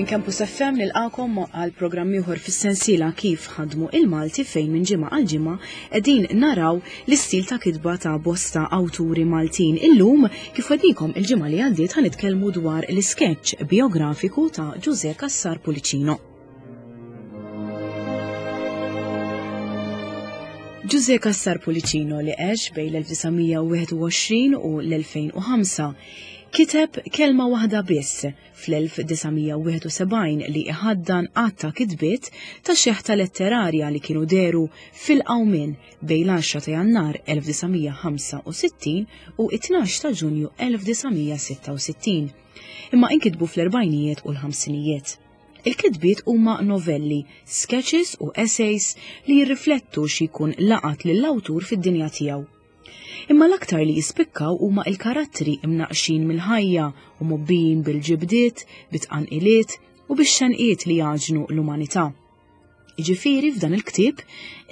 Minn Campus FM nilqakom għal programm ieħor fis-sensiela kif ħadmu il-Malti fejn minn ġimgħa għal ġimgħa qegħdin naraw l-istil ta' kitba ta' bosta awturi Maltin. Illum kif wednikom il-ġimgħa li għaddiet ħa nitkellmu dwar l-iskeċċ biografiku ta' Ġużè Cassar Pullicino. Ġużè Cassar Pullicino li għex bejn l-1921 u l-2005 kiteb kelma waħda biss fl-1971 li iħaddan għadd ta' kitbiet ta' xeħta letterarja li kienu dehru fil-Qawmien bejn l-10 ta' Jannar 1965 u t-12 ta' Ġunju 1966, imma inkitbu fl-erbgħinijiet u l-ħamsinijiet. Il-kitbiet huma novelli, sketches u essays li jirriflettu xi jkun laqat lill-awtur fid-dinja tiegħu. Imma l-aktar li jispikkaw huma l-karattri imnaqqxin mill-ħajja u mgħobbijin bil-ġibdiet, bit-tqanqiliet u bix-xenqiet li jagħġnu l-umanità. Jiġifieri f'dan il-ktieb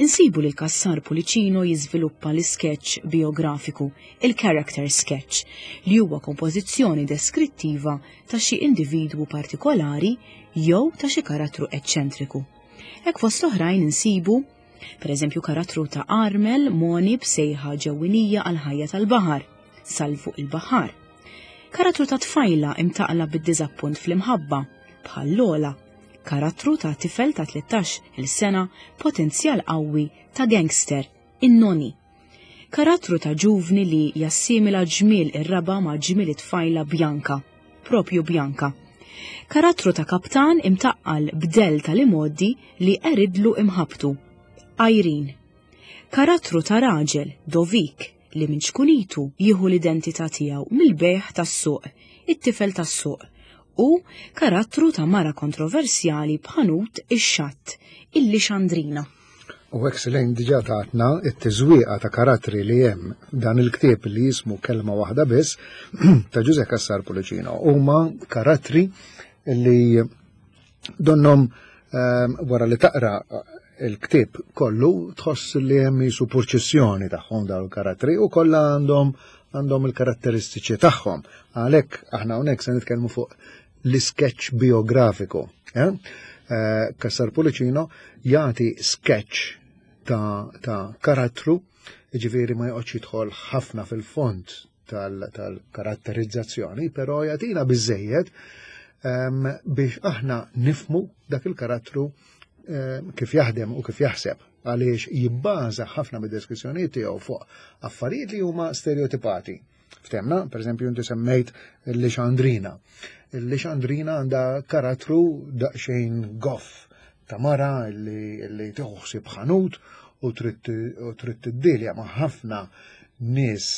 insibu lil Cassar Pullicino jiżviluppa l-iskeċċ bijografiku, il-character sketch, li huwa kompożizzjoni deskrittiva ta' xi individwu partikolari jew ta' xi karattru eċċentriku. Hekk fost oħrajn insibu Per eżempju karattru ta' armel moni b'sejħa ġewwinija għal ħajja tal-baħar, salvu il-baħar. Karattru ta' tfajla imtaqla bid-diżappunt fl-imħabba, bħal Lola. Karattru ta' tifel ta' 13 il sena potenzjal qawwi ta' gangster, in-noni. Karattru ta' ġuvni li jassimila ġmiel ir-raba' ma' ġmiel it-tfajla Bianca, propju Bianca. Karattru ta' kaptan imtaqqal b'dell tal-imgħoddi li qeridlu imħabbtu, Irene. Karattru ta' raġel, Dovik, li minn ċkunitu jieħu l-identità tiegħu mill-bejgħ tas-suq, it-tifel tas-suq, u karattru ta' mara kontroversjali b'ħanut ix-xatt, il-Lixandrina. U hekk Selene diġà tatna t-tiżwieqa ta' karattri li hemm dan il-ktieb li jismu Kelma Waħda Biss ta' Ġużè Cassar Pullicino. Huma karattri li donnom ehm, wara li taqra il-ktieb kollu tħoss li hemm jisu purċissjoni tagħhom dawn il-karattri u kollha għandhom għandhom il-karatteristiċi tagħhom. Għalhekk aħna hawnhekk se nitkellmu fuq l-isketch biografiku. Eh? eh Cassar Pullicino jagħti sketch ta', ta karattru, ġifieri ma joqgħodx jidħol ħafna fil-fond tal-karatterizzazzjoni, però jagħtina biżejjed ehm, biex aħna nifmu dak il-karattru ehm, kif jaħdem u kif jaħseb għaliex jibbaża ħafna mid-deskrizzjonijiet tiegħu fuq affarijiet li huma stereotipati. Ftemna, per eżempju, inti semmejt l-Lixandrina. Il-Lixandrina għandha karattru daqsxejn goff ta' mara li, li tieħu ħsieb ħanut u trid tiddilja ma' ħafna nies,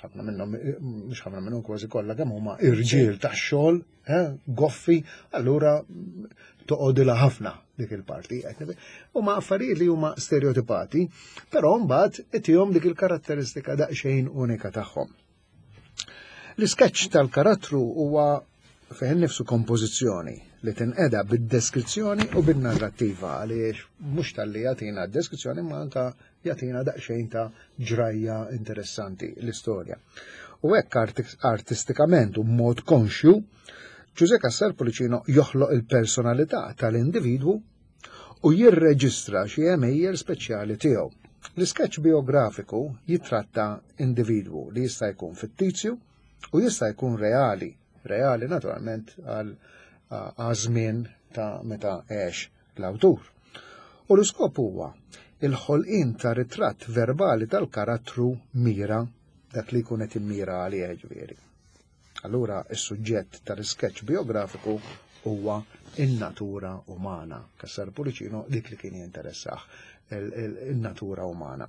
ħafna minnhom, mhux ħafna minnhom kważi kollha kemm huma irġiel tax-xogħol, eh, goffi, allura toqgħodilha ħafna dik il-parti. Huma affarijiet li huma stereotipati, però mbagħad itihom dik il-karatteristika daqsxejn unika tagħhom. L-iskeċ tal-karattru huwa fih nifsu kompożizzjoni li tinqeda bid-deskrizzjoni u bin-narrattiva għaliex mhux talli jagħtina d-deskrizzjoni ma anka jagħtina daqsxejn ta' ġrajja interessanti l-istorja. U hekk artistikament u mod konxju, Ġużè Cassar Pullicino joħloq il-personalità tal-individwu u jirreġistra xi għemejjel speċjali tiegħu. L-iskeċ biografiku jitratta individwu li jista' jkun fittizju u jista' jkun reali, reali naturalment għal żmien ta' meta għex l-awtur. U l-iskop huwa il-ħolqien ta' ritratt verbali tal-karattru mira dak li jkun qed immira għalih ġifieri. Allura is-suġġett tal-iskeċ biografiku huwa in-natura umana. Cassar Pullicino dik li kien jinteressah il-natura umana.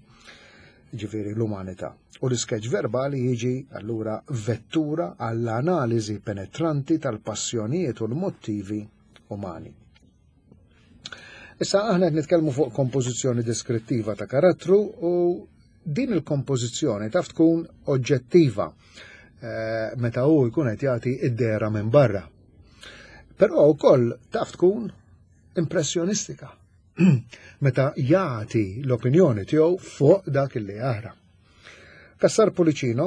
Ġifieri l-umanità. U l-iskeċ verbali jiġi allura vettura għall-analiżi penetranti tal-passjonijiet u l-motivi umani. Issa aħna qed nitkellmu fuq kompożizzjoni deskrittiva ta' karattru u din il-kompożizzjoni taf tkun oġġettiva eh, meta hu jkun qed jagħti id-dera minn barra. Però wkoll taf tkun impressjonistika meta jagħti l-opinjoni tiegħu fuq dak li jara. Kassar Pulicino,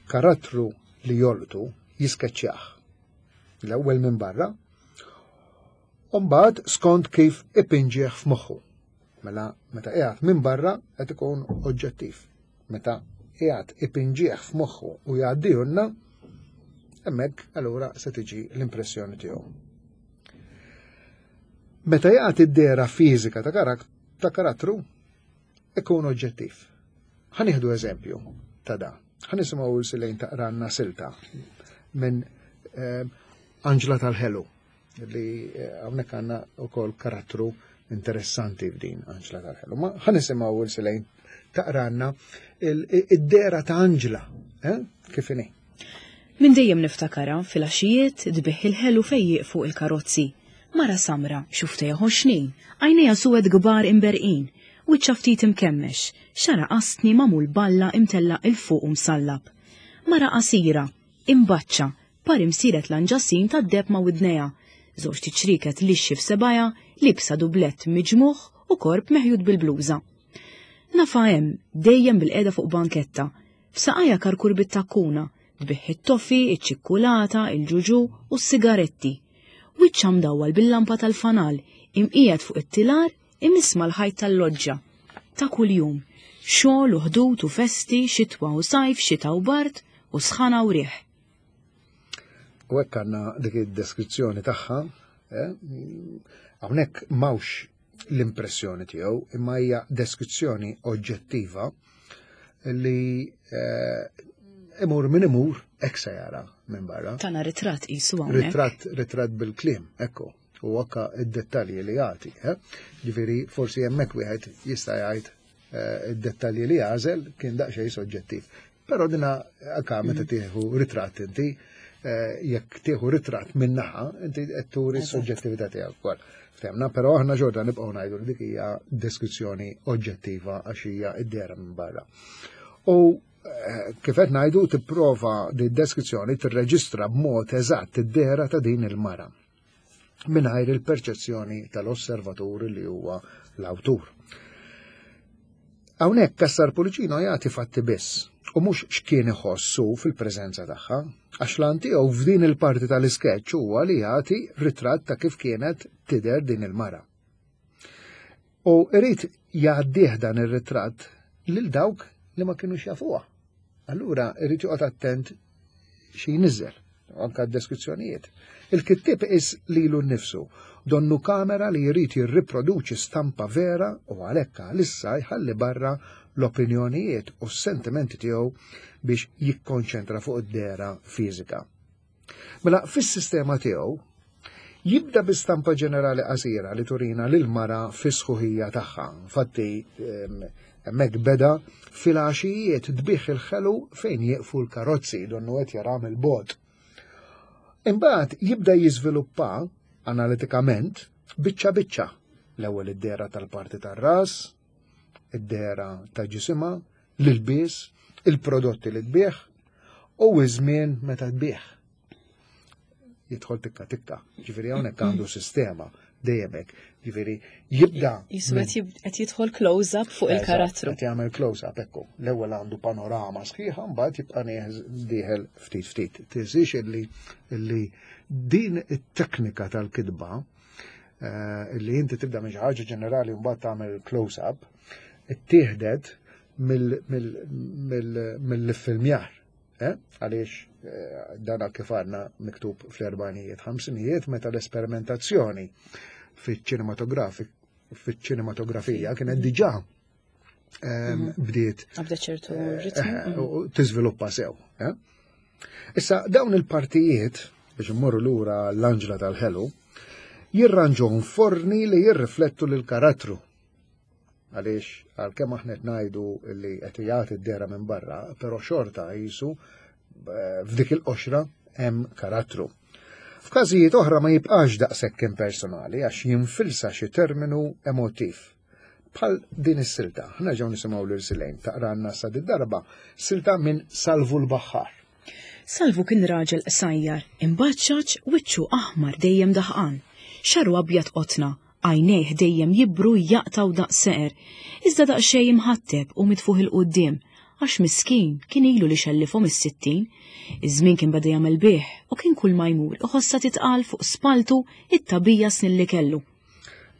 karattru li jolqtu jiskeċċjah. L-ewwel minn barra. U mbagħad skont kif ipinġih f'moħħu. Mela meta qiegħed minn barra qed ikun oġġettiv. Meta qiegħed ipinġih f'moħħu u jgħaddihulna, hemmhekk allura se tiġi l-impressjoni tiegħu. Meta jagħti d-dehra fiżika ta' ta' karattru, ikun oġġettiv. Ħa nieħdu eżempju ta' da. Ħa nisimgħu l-silejn taqranna silta minn eh, Anġla tal-Ħelu li eh, hawnhekk għandna wkoll karattru interessanti f'din Anġla tal-Ħelu. Ma ħa nisimgħu l-silejn taqranna id-dera ta' Anġla, eh, kif inhi. Minn dejjem niftakarha filgħaxijiet tbigħ il-ħelu fejn jieqfu il-karozzi. Mara samra, xufftejha ħoxnin, għajnejha suwed kbar imberrqin, wiċċha ftit imkemmex, xagħarha qastni magħmul balla imtellaq 'il fuq u msallab. Mara qasira, imbaċċa, par imsiret lanġasin tad-deheb ma' widnejha, żewġt iċrieket lixxi f'sebgħajha, liebsa dublett miġmugħ u korp meħjut bil-bluża. Nafha hemm, dejjem bilqiegħda fuq banketta, F'saqajha karkur bit-takkuna, tbigħ it-toffee, iċ-ċikkulata, il-ġuġù u s-sigaretti. Wiċċha mdawwal bil-lampa tal-fanal, imqiegħed fuq it-tilar, imiss mal-ħajt tal-loġġa. Ta' kuljum. Xogħol u ħdud u festi, xitwa u sajf, xita u bard, u sħana u riħ. U hekk għandna dik id-deskrizzjoni tagħha, eh? hawnhekk m'hawnx l-impressjoni tiegħu, imma hija deskrizzjoni oġġettiva li eh, imur min imur hekk se jara minn barra. Tana ritratt qisu hawnhekk. Ritratt, ritratt bil-kliem, ekku. U anka id-dettalji li jagħti. Eh? Ġifieri forsi hemmhekk wieħed jista' jgħid eh, id-dettalji li għażel kien daqsxejn soġġettiv. Però dina anka meta mm. tieħu ritratt inti, eh, jekk tieħu ritratt minn naħa, inti qed turi s-soġġettività tiegħek ukoll. Ftemna, però aħna xorta nibqgħu ngħidu li dik hija deskrizzjoni oġġettiva għax hija id-dera minn barra. U eh, kif qed ngħidu tipprova di deskrizzjoni tirreġistra b'mod eżatt id-dehra ta' din il-mara mingħajr il-perċezzjoni tal-osservatur li huwa l-awtur. Hawnhekk Cassar Pullicino jagħti fatti biss u mhux x'kien iħossu fil-preżenza tagħha, għax l tiegħu f'din il-parti tal-iskeċ huwa li jagħti ritratt ta' kif kienet tidher din il-mara. U irid jgħaddih dan ir-ritratt lil dawk li ma kinux jafuha. Allura irid joqgħod attent xi jniżżel, anka d-deskrizzjonijiet. Il-kittieb is lilu nnifsu, donnu kamera li jrid jirriproduċi stampa vera u għalhekk għalissa jħalli barra l-opinjonijiet u s-sentimenti tiegħu biex jikkonċentra fuq id-dehra fiżika. Mela fis-sistema tiegħu jibda bi stampa ġenerali qasira li turina lil mara fis-sħuħija tagħha. Infatti hemmhekk beda fil-għaxijiet tbigħ il-ħelu fejn jieqfu l-karozzi donnu qed jara mill-bogħod. Imbagħad jibda jiżviluppa analitikament biċċa biċċa l-ewwel id-dehra tal-parti tar-ras, id-dehra ta' ġisimha, l-ilbies, il-prodotti li tbigħ u iż-żmien meta tbigħ. Jidħol tikka tikka, ġifieri hawnhekk għandu sistema dejjem hekk. Ġifieri jibda. Jisu qed jidħol close-up fuq il-karattru. Qed jagħmel close-up ekku. L-ewwel għandu panorama sħiħa, mbagħad jibqa' dieħel ftit ftit. Tiżix illi illi din it-teknika tal-kitba eh, li inti tibda minn xi ħaġa ġenerali mbagħad tagħmel close-up, ittieħdet mill-filmjar. Eh? Għaliex eh, dan kif għandna miktub fl-erbanijiet, ħamsinijiet meta l-esperimentazzjoni fiċ-ċinematografik fiċ-ċinematografija kienet diġà ehm, mhm. bdiet Għabda ċertu eh, ritmu. Tiżviluppa sew. Issa dawn il-partijiet biex immorru lura l-Anġla tal-ħelu jirranġon forni li jirriflettu lil karattru Għaliex għalkemm aħna qed ngħidu li qed jagħti d-dehra minn barra, però xorta jisu eh, f'dik il-qoxra hemm karattru. F'każijiet oħra ma jibqax daqshekk impersonali għax jinfilsa xi terminu emotiv. Bħal din is-silta, ħna ġew nisimgħu lil Silejn taqranna sa darba silta minn Salvu l-Baħħar. Salvu kien raġel qsajjar, imbaċċaċ, wiċċu aħmar dejjem daħqan, xagħru abjad qotna, Għajnejh dejjem jibru jaqtgħu daqs seqer, iżda daqsxejn imħatteb u mitfugħ 'il quddiem. għax miskin kien ilu li xellifhom is-60, iż-żmien kien beda jagħmel bih u kien kull ma jmur iħossha titqal fuq spaltu it-tagħbija snin li kellu.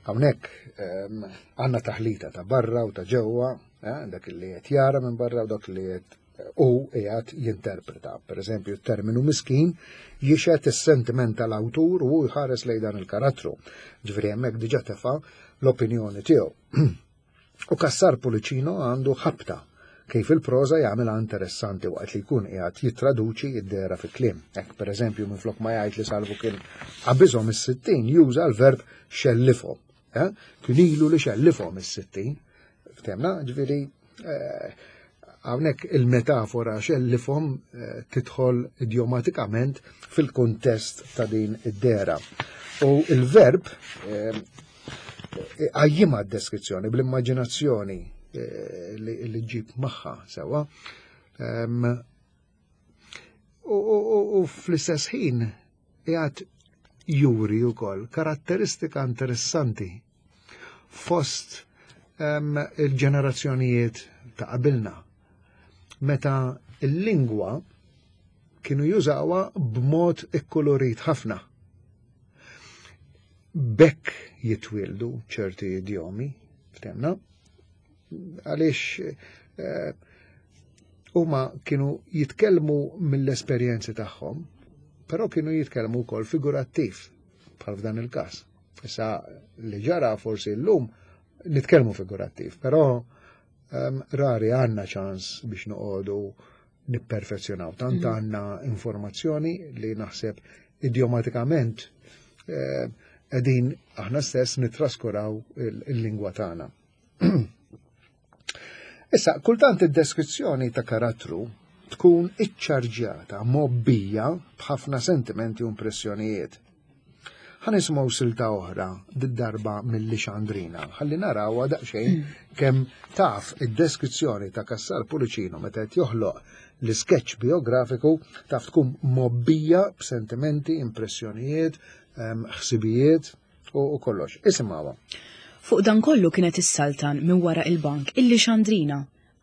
Hawnhekk ehm, għandna taħlita ta' barra u ta' ġewwa, eh, dak li qed jara minn barra u dak li qed u qiegħed jinterpreta. Per eżempju, terminu miskin jixed is-sentiment tal-awtur u jħares lejn dan il-karattru. Ġifieri hemmhekk diġà tefa' l-opinjoni tiegħu. U Cassar Pullicino għandu ħabta kif il-proża jagħmilha interessanti waqt li jkun qiegħed jittraduċi id-dehra fi kliem. Hekk pereżempju minflok ma jgħid li Salvu kien qabiżhom is-60 juża l-verb xellifhom. Eh? Kien ilu li xellifhom is-60. Ftemna, ġifieri eh, hawnhekk il-metafora xellifhom eh, tidħol idjomatikament fil-kuntest ta' din id-dehra. U il-verb għajjima d-deskrizzjoni bl-immaġinazzjoni eh, li ġib magħha sewa. U fl-istess ħin qiegħed juri wkoll karatteristika interessanti fost il-ġenerazzjonijiet ta' qabilna. Meta il-lingwa kienu jużawha b'mod ikkulurit ħafna. B'hekk jitwieldu ċerti idjomi, ftemna, għaliex eh, huma kienu jitkellmu mill-esperjenzi tagħhom, però kienu jitkellmu wkoll figurattiv bħal f'dan il-każ. Issa li ġara forsi llum nitkellmu figurattiv, però um, rari għandna ċans biex noqogħdu nipperfezzjonaw. Tant mm. għandna informazzjoni li naħseb idjomatikament eh, qegħdin aħna stess nitraskuraw il-lingwa tagħna. Issa, kultant id-deskrizzjoni ta' karattru tkun iċċarġjata, mobbija b'ħafna sentimenti u impressjonijiet. Ħa nisimgħu silta oħra did-darba mill-Lixandrina. Ħalli narawha daqsxejn kemm taf id-deskrizzjoni ta' Cassar Pullicino meta qed joħloq l-iskeċ biografiku taf tkun mobbija b'sentimenti, impressjonijiet, ehm, ħsibijiet u kollox. Isimgħuha. Fuq dan kollu kienet issaltan minn wara il-bank il-Lixandrina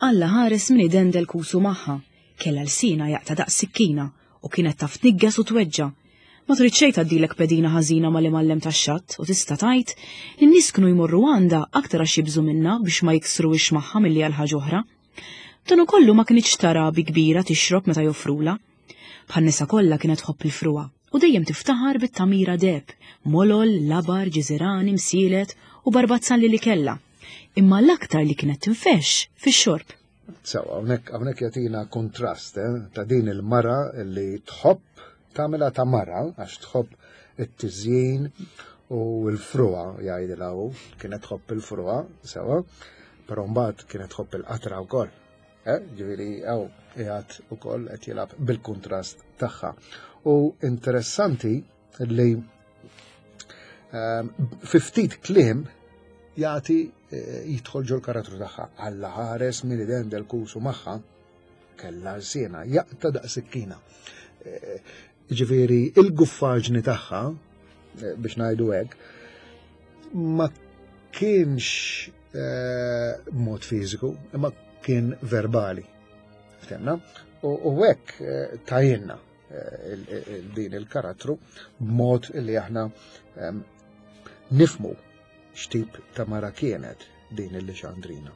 Alla ħares min idendel kusu magħha, kellha lsienha jaqta' daqs sikkina u kienet taf tniggeż u tweġġa'. Ma trid xejn tgħaddilek pedina ħażina mal-imgħallem tax-xatt u tista' tgħid li n-nies kienu jmorru għandha aktar għax jibżgħu minnha biex ma jiksruhiex magħha milli għal ħaġa oħra. B'dan ukollu ma kinitx tara bi kbira tixrob meta joffrulha. Bħan-nisa kollha kienet tħobb il-frugħa u dejjem tiftaħar bit-tagħmira deheb, molol, labar, ġiżirani, msielet u barbazzalli li kellha. Imma l-aktar li kienet tinfexx fix-xorb. Sewa, hawnhekk hawnhekk jagħtina kontrast eh, ta' din il-mara li tħobb tagħmilha ta' mara għax tħobb it-tiżjin u l-fruha jgħidilha hu, kienet tħobb il-fruha, sewa, però mbagħad kienet tħobb il-qatra wkoll. Eh, ġifieri hawn qiegħed ukoll qed jilgħab bil-kuntrast tagħha. U interessanti li ehm, fi ftit kliem jagħti eh, jidħol ġol karattru tagħha. Alla ħares min idendel kusu magħha kellha lsiena jaqta daqs sikkina. Eh, ġifieri il-guffaġni tagħha eh, biex ngħidu hekk ma kienx mod fiżiku, imma kien verbali. Ftemna? U hekk tajinna Eh, din il-karattru b'mod li aħna ehm, nifmu x'tip ta' mara kienet din il-Lixandrina.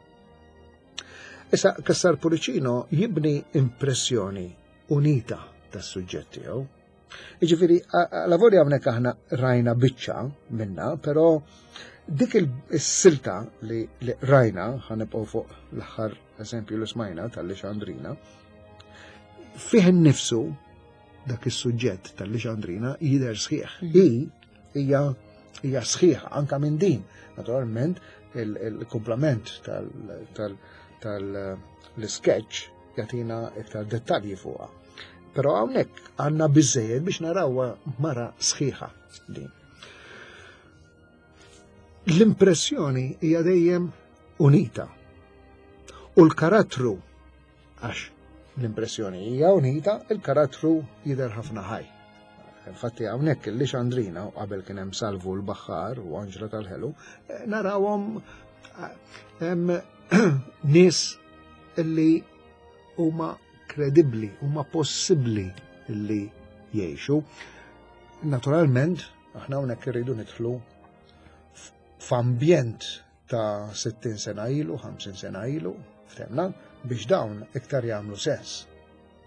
Issa, Cassar Pullicino jibni impressjoni unita tas-suġġett tiegħu. Jiġifieri, lavorja hawnhekk aħna rajna biċċa minna, però dik il-silta li rajna, ħanibqgħu fuq l-aħħar eżempju li smajna tal-Lixandrina, fih innifsu dak is-suġġett tal-Lixandrina jidher sħiħ. Mm. Hi hija hija sħiħa anka minn din. Naturalment il-kumplament tal-sketch jagħtina iktar dettalji fuqha. Però hawnhekk għandna biżejjed biex narawha mara sħiħa din. L-impressjoni hija dejjem unita. U l-karattru Għax l-impressjoni hija unita, il-karattru jidher ħafna ħaj. Infatti hawnhekk il-Lixandrina u qabel kien hemm Salvu l-Baħħar u Anġla tal-Ħelu, eh, narawhom eh, nies illi huma kredibbli, huma possibbli li jgħixu. Naturalment, aħna hawnhekk irridu nidħlu f'ambjent ta' 60 sena ilu, 50 sena ilu, ftemna, biex dawn iktar jagħmlu sens.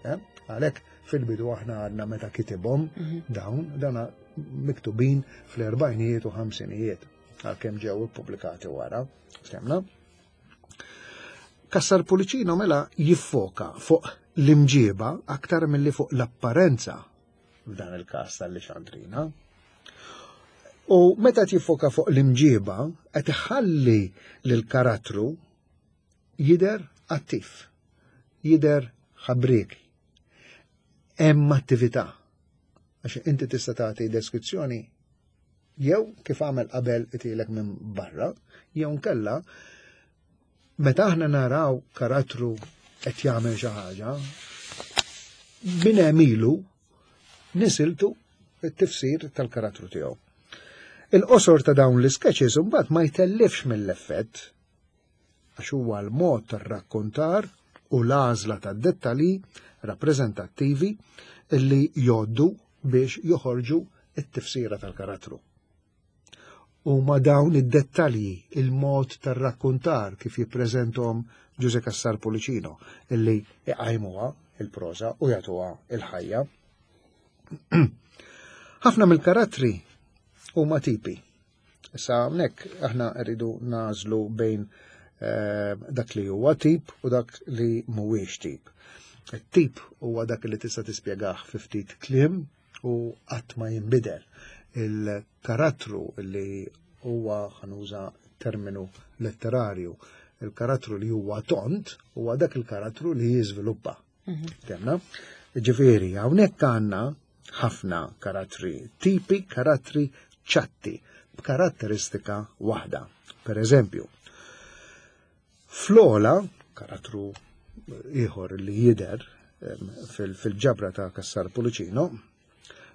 Eh? Għalhekk fil-bidu aħna għadna meta kitibhom mhm. dawn, dana miktubin fl-erbajnijiet u ħamsinijiet għalkemm ġew ippubblikati wara, ftemna. Kassar Pulicino mela jiffoka fuq l-imġiba aktar milli fuq l-apparenza f'dan il-każ tal-Lixandrina. U meta jiffoka fuq l-imġiba qed iħalli lil karattru jidher attiv, jidher ħabrieki. Hemm attività. Għax inti tista' tagħti deskrizzjoni jew kif għamel qabel itilek minn barra, jew nkella meta aħna naraw karattru qed jagħmel xi ħaġa, minn għemilu nisiltu it-tifsir tal-karattru tiegħu. Il-qosor ta' dawn l-sketches imbagħad ma jtellifx mill-effett għax huwa l-mod tar-rakkontar u l-għażla tad-dettalji rappreżentattivi li jgħoddu biex joħorġu t-tifsira tal-karattru. Huma dawn id-dettalji, il-mod tar-rakkontar kif jippreżenthom Ġużè Cassar Pullicino illi iqajmuha il-proża u jagħtuha il-ħajja. Ħafna mill-karattri huma tipi. Issa hawnhekk aħna rridu nażlu bejn eh, dak li huwa tip u dak li mhuwiex tip. It-tip huwa dak li tista' tispjegah fi ftit kliem u qatt ma jinbidel. Il-karattru li huwa ħanuża terminu letterarju, il-karattru li huwa tont huwa dak il-karattru li jiżviluppa. Mhm. Temna? Ġifieri, hawnhekk għandna ħafna karattri tipi, karattri ċatti, b'karatteristika waħda. Per eżempju, Flola, karattru ieħor li jidher fil-ġabra ta' Cassar Pullicino,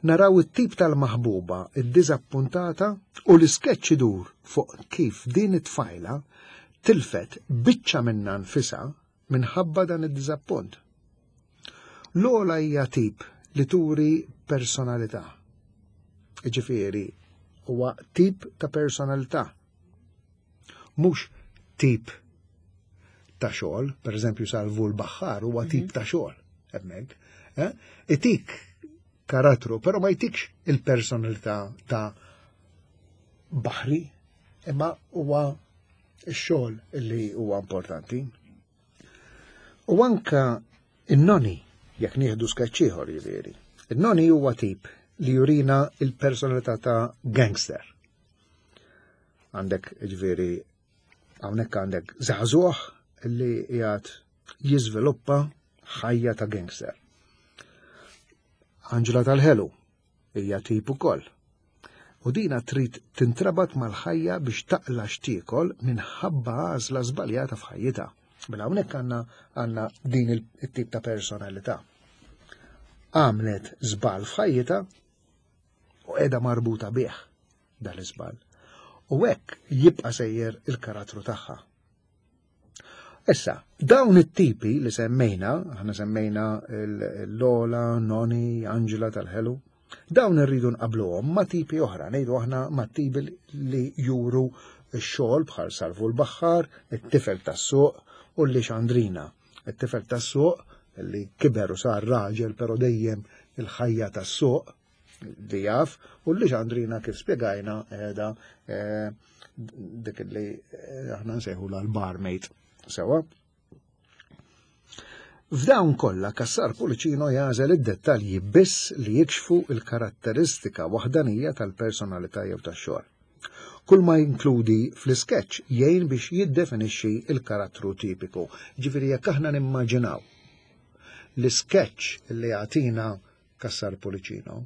naraw it-tip tal-maħbuba iddiżappuntata u l-iskeċċ idur fuq kif din it-tfajla tilfet biċċa minnha nfisha minħabba dan id-diżappunt. L-ogħla hija tip li turi personalità. Jiġifieri huwa tip ta' personalità. Mhux tip ta' xogħol, per eżempju salvu l-baħħar huwa tip mhm. ta' xogħol hemmhekk. Eh? Itik karattru, però ma jtikx il-personalità ta' baħri, imma huwa x-xogħol li huwa importanti. U anka in-noni, jekk nieħdu sketch ieħor jiġifieri. In-noni huwa tip li jurina il-personalità ta' gangster. Għandek jiġifieri hawnhekk għandek żagħżugħ li qiegħed jiżviluppa ħajja ta' gangster. Angela tal-Ħelu hija tip ukoll. U dina trid tintrabat mal-ħajja biex taqla x'tiekol minħabba għażla żbaljata f'ħajjitha. Mela hawnhekk għandna għandna din it-tip ta' personalità. Għamlet żball f'ħajjitha u qiegħda marbuta bih dal-iżball. U hekk jibqa' sejjer il-karattru tagħha. Issa, dawn it-tipi li semmejna, aħna semmejna l-Lola, Noni, Angela tal-Ħelu, dawn irridu nqabluhom ma' tipi oħra, ngħidu aħna ma' tipi li juru x-xogħol bħal Salvu l-Baħħar, it-tifel tas-suq u l-Lixandrina. It-tifel tas-suq li kiber u sar raġel però dejjem il-ħajja tas-suq li jaf u li xandrina kif spjegajna qiegħda eh, dik li eh, aħna nsejħu l-barmaid. Sewa. F'dawn kollha Kassar Pullicino jażel id-dettalji biss li jikxfu il-karatteristika waħdanija tal-personalità jew tax-xogħol. Kull ma jinkludi fl-iskeċ jgħin biex jiddefinixxi il-karattru tipiku. Ġifieri jekk aħna nimmaġinaw l-iskeċ li jagħtina Cassar Pullicino,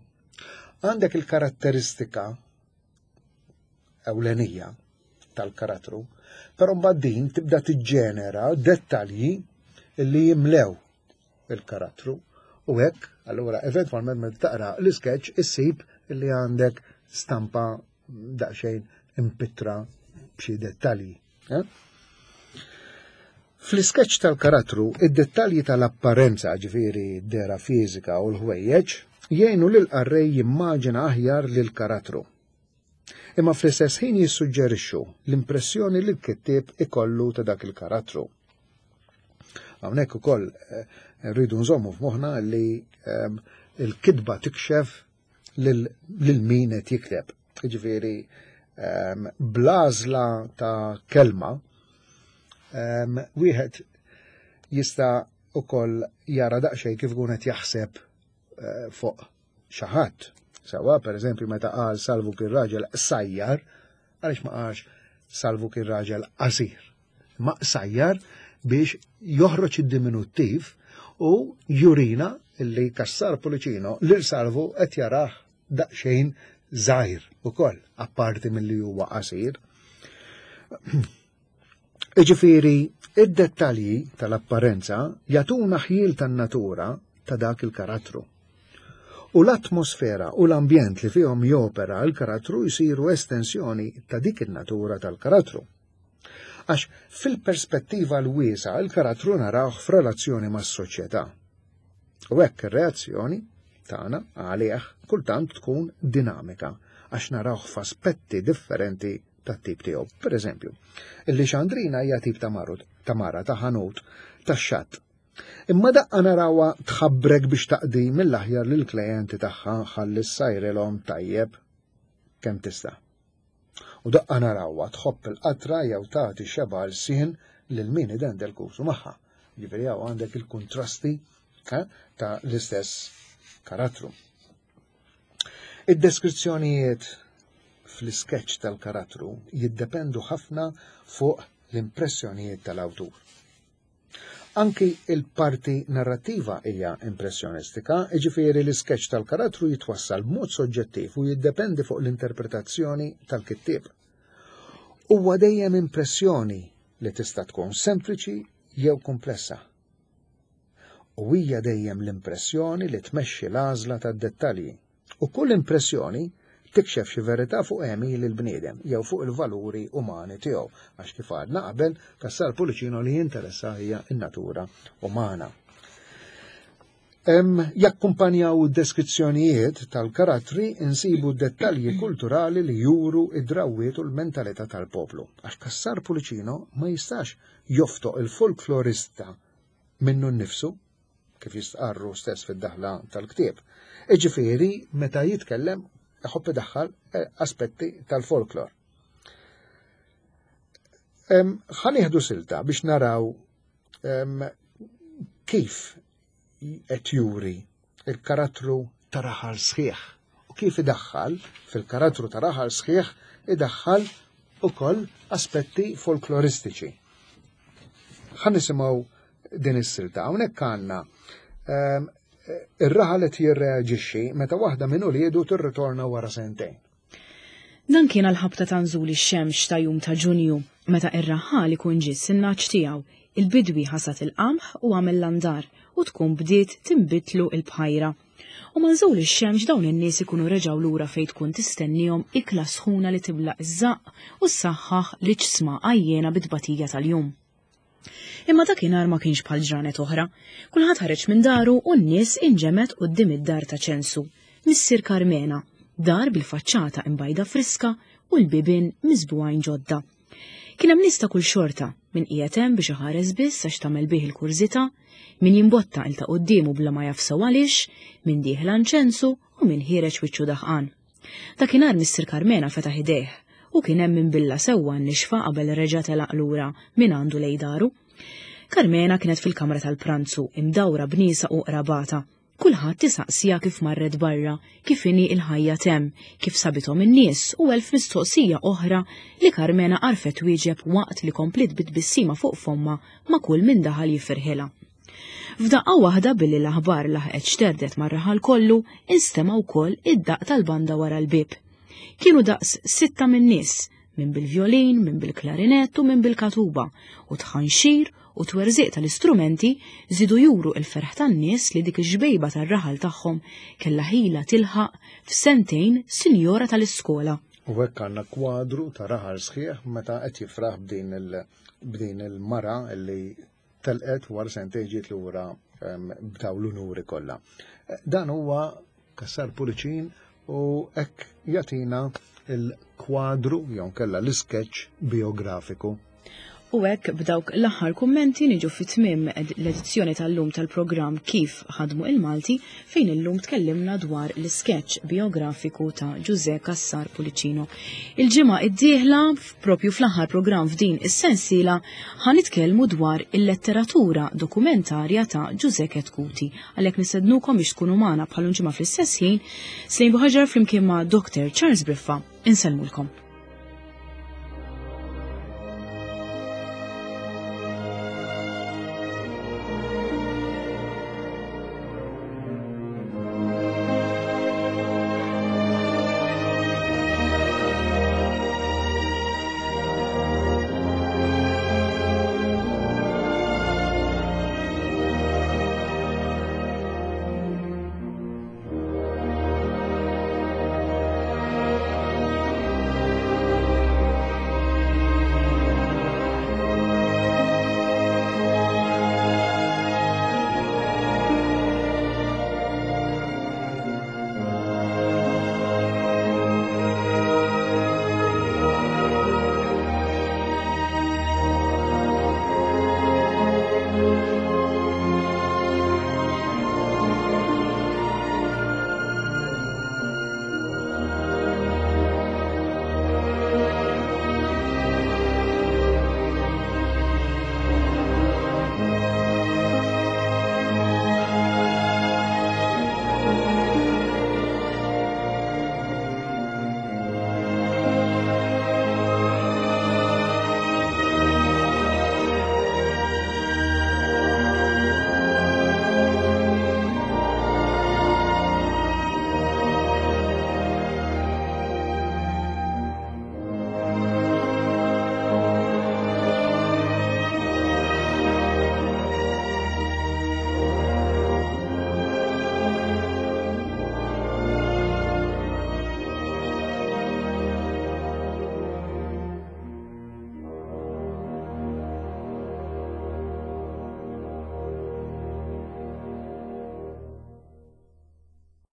għandek il-karatteristika ewlenija tal-karattru, però mbagħad din tibda tiġġenera dettalji li jimlew il-karattru u hekk allura eventwalment meta taqra l-isketch issib li għandek stampa daqsxejn impittra b'xi dettalji. Eh? Fl-iskeċċ tal-karattru, id-dettalji tal-apparenza, ġifieri d-dehra fiżika u l-ħwejjeġ, jgħinu lill-qarrej jimmaġina aħjar lill-karattru. Imma fl-istess ħin jissuġġerixxu l-impressjoni li l-kittieb ikollu ta' dak il-karattru. Hawnhekk ukoll eh, rridu nżommu f'moħħna li ehm, il-kitba tikxef lil min qed jikteb. Jiġifieri ehm, bl-għażla ta' kelma ehm, wieħed jista' ukoll jara daqsxejn kif ikun qed jaħseb eh, fuq xi ħadd. Sewa, pereżempju, meta qal salvu kien raġel sajjar, għaliex ma qalx salvu kien raġel qasir. Ma qsajjar biex joħroġ id-diminuttiv u jurina li Cassar Pullicino lil Salvu qed jarah daqsxejn żgħir ukoll, apparti milli huwa qasir. Iġifieri, id-dettalji tal-apparenza jagħtuna ħjiel tan-natura ta' dak il-karattru. U l-atmosfera u l-ambjent li fihom jopera l-karattru jsiru estensjoni ta' dik in-natura tal-karattru. Għax fil-perspettiva l-wiesa l-karattru narawh f'relazzjoni mas-soċjetà. U hekk ir-reazzjoni tagħna għalih kultant tkun dinamika għax narawh f'aspetti differenti tat-tip tiegħu. Per eżempju, il-Lixandrina hija tip ta' marut, ta' mara ta' ħanut, tax-xatt. Imma daqqa narawha tħabbrek biex taqdi mill-aħjar lill-klejenti tagħha ħalli ssajrilhom tajjeb kemm tista'. U daqqa narawha tħobb il-qatra jew tagħti xebgħa lsien lil min idendel kusu magħha. Jiġifieri hawn għandek il-kuntrasti eh, ta' l-istess karattru. Id-deskrizzjonijiet fl-iskeċ tal-karattru jiddependu ħafna fuq l-impressjonijiet tal-awtur. Anki il-parti narrattiva hija impressjonistika, jiġifieri l-iskeċ tal-karattru jitwassal b'mod soġġettiv u jiddependi fuq l-interpretazzjoni tal-kittieb. Huwa dejjem impressjoni li tista' tkun sempliċi jew kumplessa. U hija dejjem l-impressjoni li tmexxi l-għażla tad-dettalji. U kull impressjoni tikxef xi verità fuq għemil il-bniedem jew fuq il-valuri umani tiegħu, għax kif għadna qabel, Cassar Pullicino li jinteressa hija n-natura umana. Jakkumpanjaw deskrizzjonijiet tal-karattri insibu dettalji kulturali li juru id-drawwiet u l-mentalità tal-poplu. Għax Cassar Pullicino ma jistax joftoq il-folklorista minnu nnifsu, kif jistqarru stess fid-daħla tal-ktieb. Iġifieri meta jitkellem iħobb idaħħal eh, aspetti tal-folklor. Ħa nieħdu silta biex naraw kif qed juri il-karattru ta' raħal sħiħ u kif idaħħal fil-karattru ta' raħal sħiħ idaħħal ukoll aspetti folkloristiċi. Ħa nisimgħu din is-silta. Hawnhekk għandna ehm, ir-raħal qed jirreaġixxi meta waħda minn uliedu tirritorna wara sentejn. Dan kien għal ħabta ta' nżul ix-xemx ta' jum ta' Ġunju, meta ir-raħħal ikun ġie s-sinnaġ tiegħu, il-bidwi ħasad il-qamħ u għamel l-andar u tkun bdiet tinbidlu l-bħajra. U ma' nżul ix-xemx dawn in-nies ikunu reġgħu lura fejn tkun tistenniehom ikla sħuna li timla ż-żaqq u ssaħħaħ l-iġsma għajjiena bit-tbatija tal-jum. Imma dakinhar ma kienx bħal ġranet oħra. Kulħadd ħareġ minn daru u n-nies inġemgħet quddiem id-dar ta' Ċensu, missier Karmena, dar bil-faċċata imbajda friska u l-bibien miżbugħin ġodda. Kien hemm nies ta' kull xorta, min qiegħed hemm biex iħares biss għax tagħmel bih il-kurżità, min jimbotta il ta' quddiemu bla ma jaf sew għaliex, min dieħel għand Ċensu u min ħiereġ wiċċu daħqan. Dakinhar Missier Karmena fetaħ idejh u kien hemm min billa sewwa n-nixfa qabel reġa' telaq lura minn għandu lejn daru. Karmena kienet fil-kamra tal-pranzu imdawra b'niesha u qrabatha. Kulħadd isaqsiha kif marret barra, kif inhi l-ħajja t'hemm, kif sabithom in-nies u elf mistoqsija oħra li Karmena għarfet twieġeb waqt li kompliet bi tbissima fuq fommha ma' kull min daħal jifirħilha. F'daqqa waħda billi l-aħbar laħqet xterdet mar-raħal kollu, instema' wkoll id-daqq tal-banda wara l-bieb. Kienu daqs sitta min-nies, min bil-vjolin, min bil-klarinett u min bil-katuba, u tħanxir u twerżiq tal-istrumenti żiedu juru il-ferħ tan-nies li dik ix-xbejba tar-raħal tagħhom kellha ħila tilħaq f'sentejn sinjora tal-iskola. U hekk għandna kwadru ta' raħal sħiħ meta qed jifraħ b'din il-mara li Telqet wara sentejn ġiet lura b'daw l-unuri kollha. Dan huwa Cassar Pullicin u hekk jagħtina il-kwadru jew kella l-iskeċ biografiku. U hekk b'dawk l-aħħar kummenti niġu fi tmiem l-edizzjoni tal-lum tal-programm Kif ħadmu il-Malti fejn illum tkellimna dwar l-iskeċ biografiku ta' Ġużè Cassar Pullicino. Il-ġimgħa id-dieħla propju fl-aħħar programm f'din is-sensiela ħa nitkellmu dwar il-letteratura dokumentarja ta' Ġużè Chetcuti. Għalhekk nistednukom biex tkunu magħna bħal ġimgħa fl-istess ħin, Slejn Buħaġar flimkien ma' Dr. Charles Briffa. Insellmulkom.